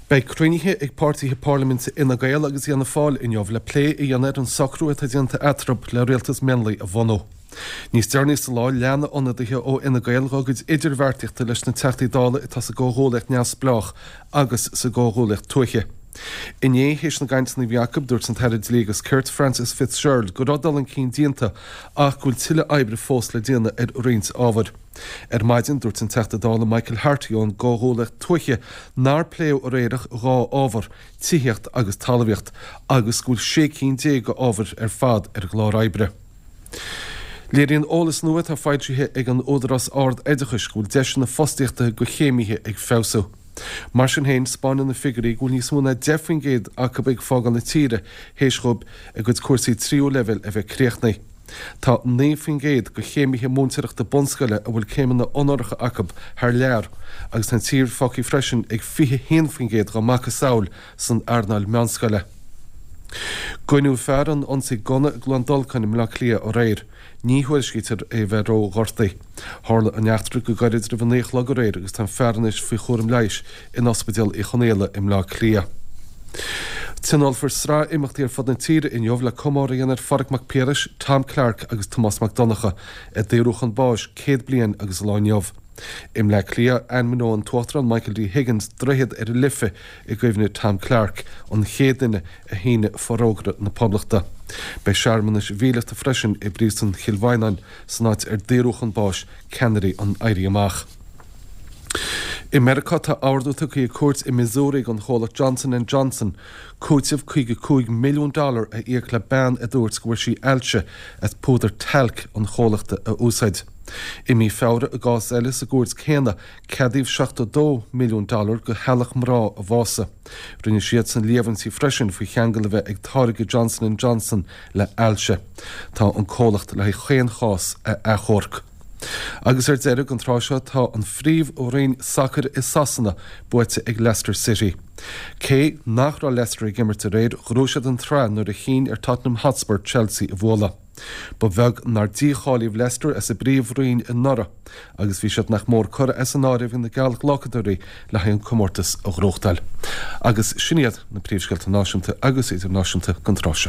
Beidh cruinnithe ag páirtithe parlaiminte Fhine Gael agus Fhianna Fáil inniu le plé a dhéanamh ar an socrú atá déanta eatarthu le rialtas mionlaigh a bhunú. Níos deireanaí sa lá, leanfaidh ionadaithe ó Fhine Gael dá gcuid idirbheartaíochta leis na Teachtaí Dála atá sa gComhghuaillíocht Neamhspleách agus sa gComhghuaillíocht Tuaithe. Inné, théis na gcainteanna a bhí acu, dúirt an tAire Dlí agus Cirt, Frances Fitzgerald, go raibh dul chun cinn déanta ach go bhfuil tuilleadh oibre fós le déanamh ar roinnt ábhair. Ar maidin, dúirt an Teachta Dála Michael Harte ón gComhghuaillíocht Tuaithe nár pléadh aréir ach 2 ábhar, tithíocht agus talmhaíocht, agus go bhfuil 16 cinn d'ábhair ar fad ar an gclár oibre. Léiríonn eolas nua atá foilsithe ag an Údarás Ard-Oideachais go bhfuil deiseanna fostaíochta do chéimithe ag feabhsú. Mar sin féin, 'spáineann na figiúirí go bhfuil níos mó ná 10% acu ag fágáil na tíre théis dhóibh a gcuid cúrsaí tríú leibhéal a bheith críochnaithe. Tá 9% de chéimithe múinteoireachta bunscoile a bhfuil céimeanna onóracha acu thar lear agus tá an tír fágtha freisin ag 21% dá macasamhail san earnáil meánscoile. Goineadh fear in ionsaí gunna i gCluain Dolcáin i mBleá Cliath aréir. Ní thuairiscítear é a bheith ró-ghortaithe. Tharla an eachtra go gairid roimh a 9 a chlog aréir agus tá an fear anois faoi chúram leighis in Ospidéal Uí Chonghaile i mBleá Cliath. Tionólfar sraith imeachtaí ar fud na tíre inniu le comóradh a dhéanamh ar Phádraig Mac Piarais, Tom Clarke agus Tomás Mac Donncha, a daoradh chun báis 100 bliain agus an lá inniu. I mBleá Cliath, ainmneoidh an tUachtarán Michael D. Higgins droichead ar an Life i gcuimhne Tom Clarke, an chéad duine a shínigh Forógra na Poblachta. Beidh searmanais mhíleata freisin i bPríosún Chill Mhaighneáin, san áit ar daoradh chun báis ceannairí an Éirí Amach. I Meiriceá, tá ordú tugtha ag cúirt i Missouri don chomhlacht Johnson and Johnson cúiteamh 55 milliún dollar a íoc le bean a dúirt go bhfuair sí ailse as púdar talc an chomhlachta a úsáid. I mí Feabhra, i gcás eile sa gcúirt céanna, ceadaíodh 72 milliún dollar do theaghlach mná a bhásaigh. Rinne siadsan líomhaintí freisin faoi cheangal a bheith ag táirge Johnson and Johnson le hailse. Tá an comhlacht le haghaidh chaon chás a achomharc. Agus ar deireadh, don tráth seo tá an Phríomhroinn Sacair i Sasana buaite ag Leicester City. Cé nach raibh Leicester ag imirt aréir, ghnóthaigh siad an tsraith nuair a chinn ar Tottenham Hotspur Chelsea a bhualadh. Ba bheag nár dícháilíodh Leicester as an bPríomhroinn anuraidh agus bhí siad nach mór curtha as an áireamh ag na geallghlacadóirí le haghaidh an comórtas a ghnóthachtáil. Agus sin iad na príomhscéalta náisiúnta agus idirnáisiúnta don tráth seo.